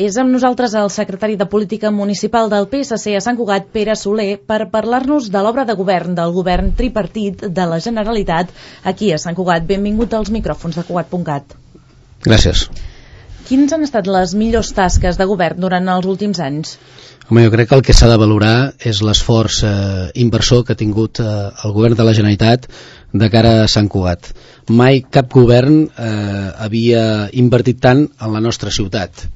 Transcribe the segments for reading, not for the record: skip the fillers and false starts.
És amb nosaltres el secretari de Política Municipal del PSC a Sant Cugat, Pere Soler, per parlar-nos de l'obra de govern del govern tripartit de la Generalitat aquí a Sant Cugat. Benvingut als micròfons de Cugat.cat. Gràcies. Quins han estat les millors tasques de govern durant els últims anys? Home, jo crec que el que s'ha de valorar és l'esforç inversor que ha tingut el govern de la Generalitat de cara a Sant Cugat. Mai cap govern havia invertit tant en la nostra ciutat.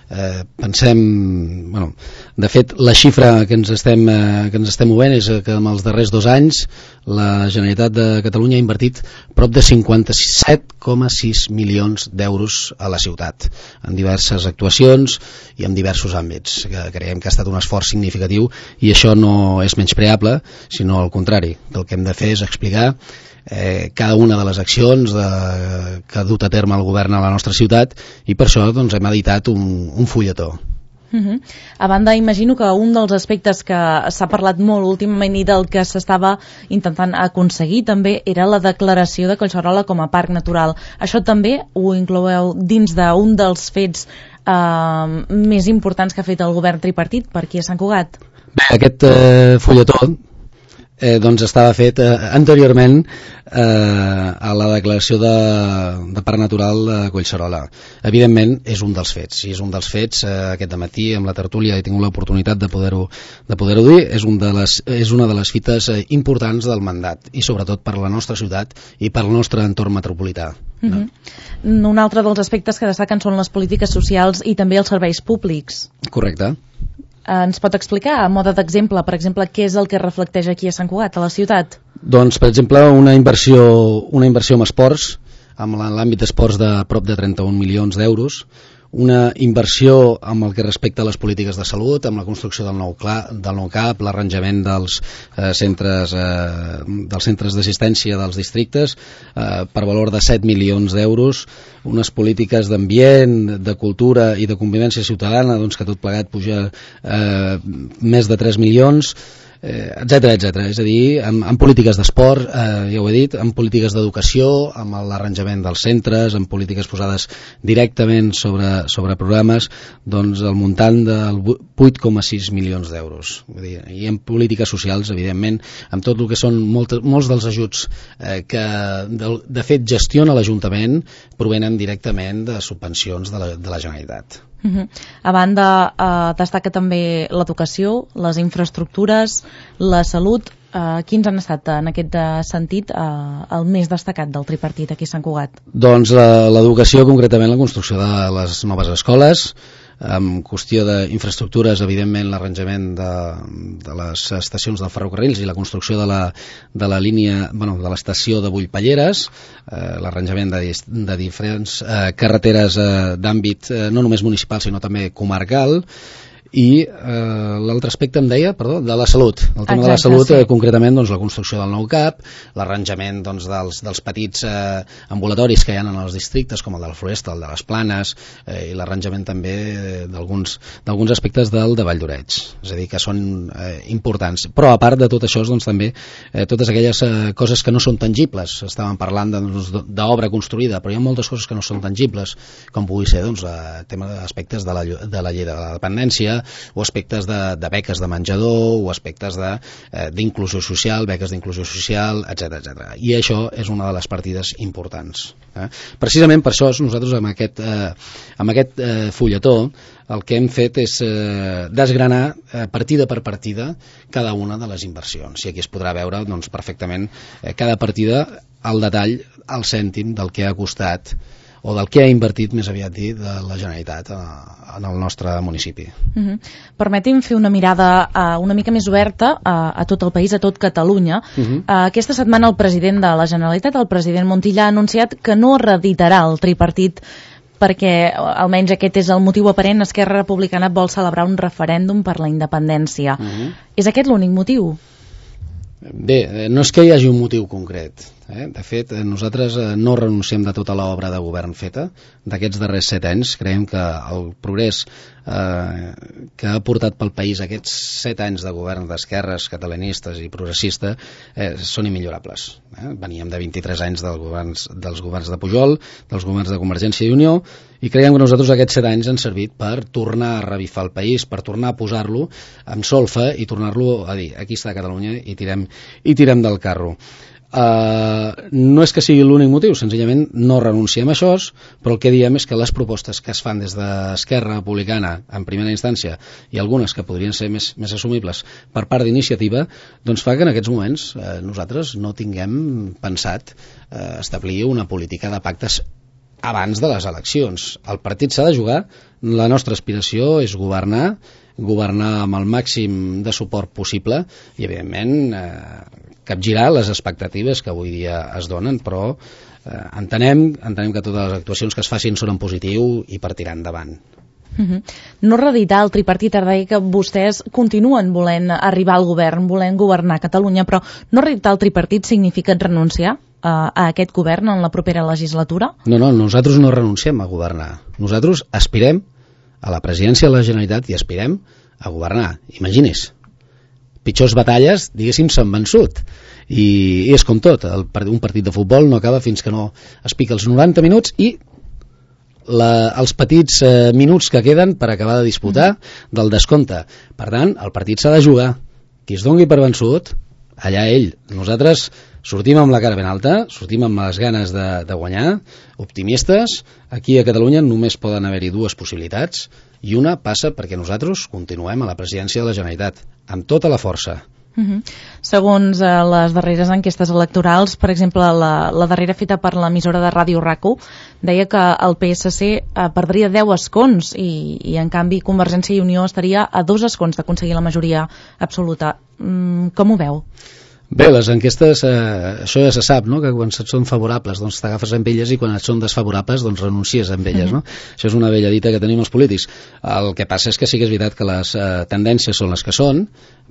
Pensem, de fet la xifra que ens estem movent és que en els darrers 2 anys la Generalitat de Catalunya ha invertit prop de 57,6 milions d'euros a la ciutat en diverses actuacions i en diversos àmbits, que creiem que ha estat un esforç significatiu, i això no és menyspreable, sinó al contrari, que el que hem de fer és explicar cada una de les accions que ha dut a terme el govern a la nostra ciutat, i per això hem editat un fulletó. A banda, imagino que un dels aspectes que s'ha parlat molt últimament i del que s'estava intentant aconseguir també era la declaració de Collserola com a parc natural. Això també ho incloeu dins d'un dels fets més importants que ha fet el govern tripartit per aquí a Sant Cugat? Bé, aquest fulletó estava fet anteriorment a la declaració de parc natural de Collserola. Evidentment és un dels fets, i és un dels fets aquest dematí amb la tertúlia he tingut l'oportunitat de poder-ho dir. És una de les fites importants del mandat, i sobretot per la nostra ciutat i per el nostre entorn metropolità. Un altre dels aspectes que destaquen són les polítiques socials i també els serveis públics. Correcte. Ens pot explicar, a mode d'exemple, per exemple, què és el que reflecteix aquí a Sant Cugat, a la ciutat? Doncs, per exemple, una inversió en esports, en l'àmbit d'esports de prop de 31 milions d'euros, una inversió amb el que respecta a les polítiques de salut, amb la construcció del nou CAP, l'arranjament dels centres d'assistència dels districtes per valor de 7 milions d'euros, unes polítiques d'ambient, de cultura i de convivència ciutadana, que tot plegat puja més de 3 milions, etcètera. És a dir, amb polítiques d'esport, ja ho he dit, amb polítiques d'educació, amb l'arranjament dels centres, amb polítiques posades directament sobre programes, el muntant del 8,6 milions d'euros. I en polítiques socials, evidentment, amb tot el que són molts dels ajuts que de fet gestiona l'Ajuntament, provenen directament de subvencions de la Generalitat. A banda, destaca també l'educació, les infraestructures, la salut. Quins han estat en aquest sentit el més destacat del tripartit aquí a Sant Cugat? Doncs l'educació, concretament la construcció de les noves escoles, en qüestió d'infraestructures, evidentment l'arranjament de les estacions dels ferrocarrils i la construcció de la línia, de l'estació de Bullpalleres, l'arranjament de diferents carreteres d'àmbit no només municipal sinó també comarcal, i l'altre aspecte em deia, de la salut, el tema de la salut, concretament la construcció del nou CAP, l'arranjament dels petits ambulatoris que hi ha en els districtes, com el de la Floresta, el de les Planes, i l'arranjament també d'alguns aspectes del de Vall d'Oreig, és a dir, que són importants. Però a part de tot això, també totes aquelles coses que no són tangibles. Estàvem parlant d'obra construïda, però hi ha moltes coses que no són tangibles, com pugui ser el tema d'aspectes de la llei de la dependència, o aspectes de beques de menjador, o aspectes d'inclusió social, beques d'inclusió social, etc. I això és una de les partides importants. Precisament per això nosaltres amb aquest fulletó el que hem fet és desgranar partida per partida cada una de les inversions, i aquí es podrà veure perfectament cada partida al detall, al cèntim del que ha costat o del que ha invertit, més aviat dit, de la Generalitat en el nostre municipi. Permeti'm fer una mirada una mica més oberta a tot el país, a tot Catalunya. Aquesta setmana el president de la Generalitat, el president Montilla, ha anunciat que no reeditarà el tripartit perquè, almenys aquest és el motiu aparent, Esquerra Republicana vol celebrar un referèndum per la independència. És aquest l'únic motiu? Bé, no és que hi hagi un motiu concret. De fet, nosaltres no renunciem de tota l'obra de govern feta. D'aquests darrers 7 anys, creiem que el progrés que ha portat pel país aquests 7 anys de govern d'esquerres, catalanistes i progressistes són immillorables. Veníem de 23 anys dels governs de Pujol, dels governs de Convergència i Unió, i creiem que nosaltres aquests 7 anys han servit per tornar a revifar el país, per tornar a posar-lo amb solfa i tornar-lo a dir, aquí està Catalunya i tirem del carro. No és que sigui l'únic motiu, senzillament no renunciem a això, però el que diem és que les propostes que es fan des d'Esquerra Republicana en primera instància i algunes que podrien ser més assumibles per part d'iniciativa, doncs fa que en aquests moments nosaltres no tinguem pensat establir una política de pactes abans de les eleccions. El partit s'ha de jugar, la nostra aspiració és governar amb el màxim de suport possible i evidentment capgirar les expectatives que avui dia es donen, però entenem que totes les actuacions que es facin són en positiu i per tirar endavant. No reeditar el tripartit, ara deia que vostès continuen volent arribar al govern, volent governar Catalunya, però no reeditar el tripartit significa renunciar a aquest govern en la propera legislatura? No, nosaltres no renunciem a governar. Nosaltres aspirem a la presidència de la Generalitat i aspirem a governar. Imagini's, pitjors batalles, diguéssim, s'han vençut. I és com tot, un partit de futbol no acaba fins que no es pica els 90 minuts i els petits minuts que queden per acabar de disputar del descompte. Per tant, el partit s'ha de jugar. Qui es dongui per vençut, allà ell. Nosaltres sortim amb la cara ben alta, sortim amb les ganes de guanyar, optimistes. Aquí a Catalunya només poden haver-hi 2 possibilitats i una passa perquè nosaltres continuem a la presidència de la Generalitat, amb tota la força. Segons les darreres enquestes electorals, per exemple, la darrera feta per l'emissora de ràdio RAC1, deia que el PSC perdria 10 escons i en canvi Convergència i Unió estaria a 2 escons d'aconseguir la majoria absoluta. Com ho veu? Bé, les enquestes, això ja se sap, no? Que quan et són favorables doncs t'agafes amb elles i quan et són desfavorables doncs renuncies amb elles, no? Això és una vella dita que tenim els polítics. El que passa és que sí que és veritat que les tendències són les que són,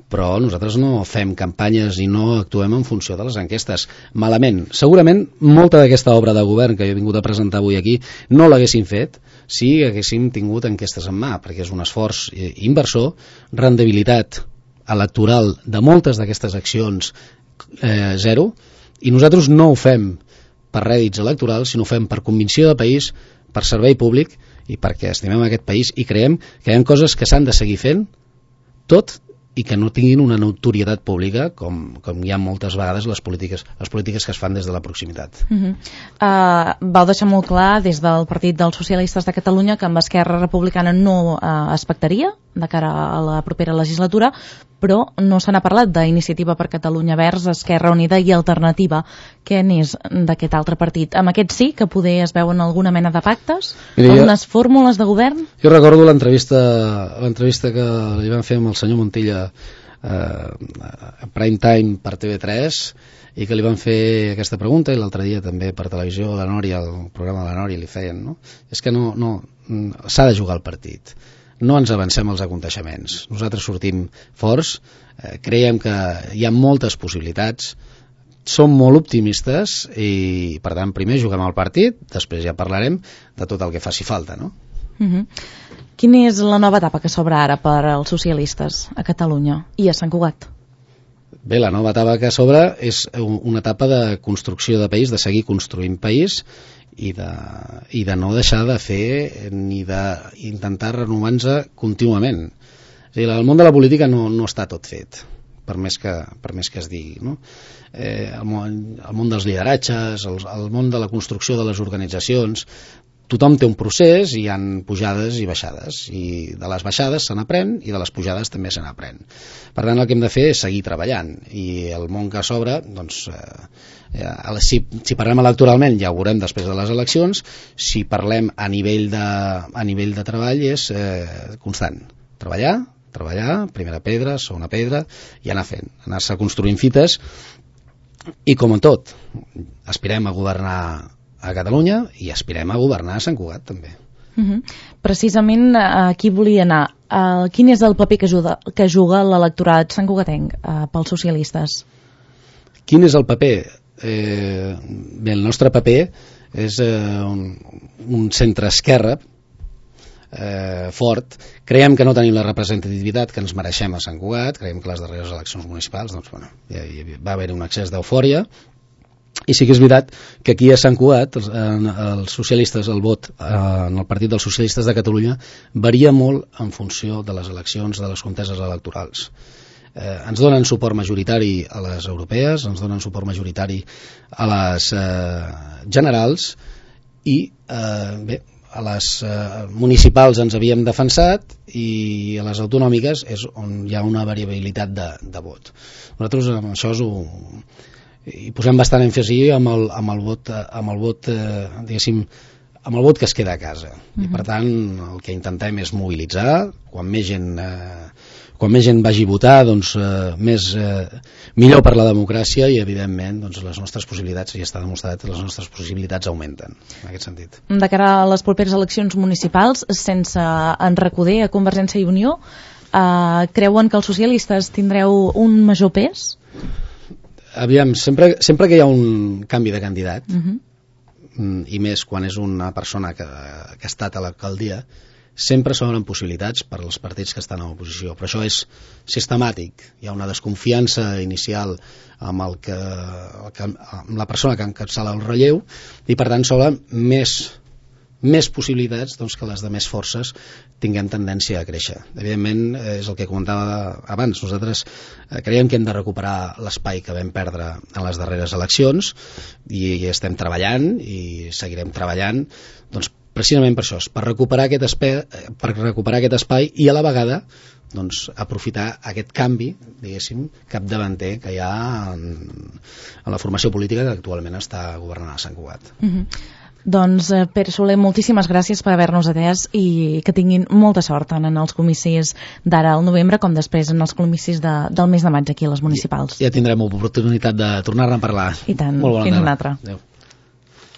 però nosaltres no fem campanyes i no actuem en funció de les enquestes. Malament. Segurament molta d'aquesta obra de govern que jo he vingut a presentar avui aquí no l'haguéssim fet si haguéssim tingut enquestes en mà, perquè és un esforç inversor, rendibilitat electoral de moltes d'aquestes accions zero, i nosaltres no ho fem per rèdits electorals, sinó ho fem per convicció de país, per servei públic i perquè estimem aquest país i creiem que hi ha coses que s'han de seguir fent tot i que no tinguin una notorietat pública com hi ha moltes vegades les polítiques que es fan des de la proximitat. Vau deixar molt clar des del Partit dels Socialistes de Catalunya que amb Esquerra Republicana no es pactaria de cara a la propera legislatura, però no se n'ha parlat d'Iniciativa per Catalunya Verds, Esquerra Unida i Alternativa. Què n'és d'aquest altre partit? Amb aquest sí que poder es veuen alguna mena de pactes? Algunes fórmules de govern? Jo recordo l'entrevista que li van fer amb el senyor Montilla a Prime Time per TV3 i que li van fer aquesta pregunta i l'altre dia també per televisió la Nòria, el programa de la Nòria li feien, no? És que no s'ha de jugar el partit. No ens avancem als aconteixements. Nosaltres sortim forts, creiem que hi ha moltes possibilitats, som molt optimistes i, per tant, primer juguem al partit, després ja parlarem de tot el que faci falta, no? Quina és la nova etapa que s'obre ara per als socialistes a Catalunya i a Sant Cugat? Bé, la nova etapa que s'obre és una etapa de construcció de país, de seguir construint país i de no deixar de fer ni d'intentar renovar-nos contínuament. És a dir, el món de la política no està tot fet, per més que es digui, no? El món dels lideratges, el món de la construcció de les organitzacions, tothom té un procés i hi ha pujades i baixades, i de les baixades se n'aprèn i de les pujades també se n'aprèn. Per tant, el que hem de fer és seguir treballant, i el món que s'obre, doncs, si parlem electoralment ja ho veurem després de les eleccions. Si parlem a nivell de treball és constant, treballar, primera pedra, segona pedra, i anar-se construint fites, i com en tot aspirem a governar a Catalunya i aspirem a governar a Sant Cugat també. Precisament aquí volia anar. Quin és el paper que juga l'electorat santcugatenc pels socialistes? Quin és el paper? bé, el nostre paper és un centre-esquerra fort. Creiem que no tenim la representativitat que ens mereixem a Sant Cugat, creiem que les darreres eleccions municipals doncs, bueno, va haver un excés d'eufòria, i sí que és veritat que aquí a Sant Cugat els socialistes, el vot en el Partit dels Socialistes de Catalunya varia molt en funció de les eleccions, de les conteses electorals. Ens donen suport majoritari a les europees, ens donen suport majoritari a les generals, i bé, a les municipals ens havíem defensat, i a les autonòmiques és on hi ha una variabilitat de vot. Nosaltres amb això hi posem bastant èmfasi amb el vot diguéssim, amb el vot que es queda a casa. I per tant el que intentem és mobilitzar, quan més gent vagi a votar, doncs millor per la democràcia, i evidentment doncs, les nostres possibilitats, ja està demostrat, les nostres possibilitats augmenten en aquest sentit. De cara a les properes eleccions municipals, sense enrecuder a Convergència i Unió, creuen que els socialistes tindreu un major pes? Aviam, sempre que hi ha un canvi de candidat, i més quan és una persona que ha estat a l'alcaldia, sempre s'obren possibilitats per als partits que estan a l'oposició, però això és sistemàtic. Hi ha una desconfiança inicial amb la persona que encapçala el relleu, i per tant s'obren més possibilitats doncs, que les de més forces tinguem tendència a créixer. Evidentment, és el que comentava abans, nosaltres creiem que hem de recuperar l'espai que vam perdre en les darreres eleccions, i estem treballant i seguirem treballant doncs, precisament per això, per recuperar aquest espai, i a la vegada doncs, aprofitar aquest canvi, diguéssim, capdavanter que hi ha en la formació política que actualment està governant a Sant Cugat. Doncs, Pere Soler, moltíssimes gràcies per haver-nos atès, i que tinguin molta sort tant en els comicis d'ara al novembre com després en els comicis del mes de maig aquí a les municipals. Ja tindrem oportunitat de tornar-ne a parlar. I tant, fins una altra. Adéu.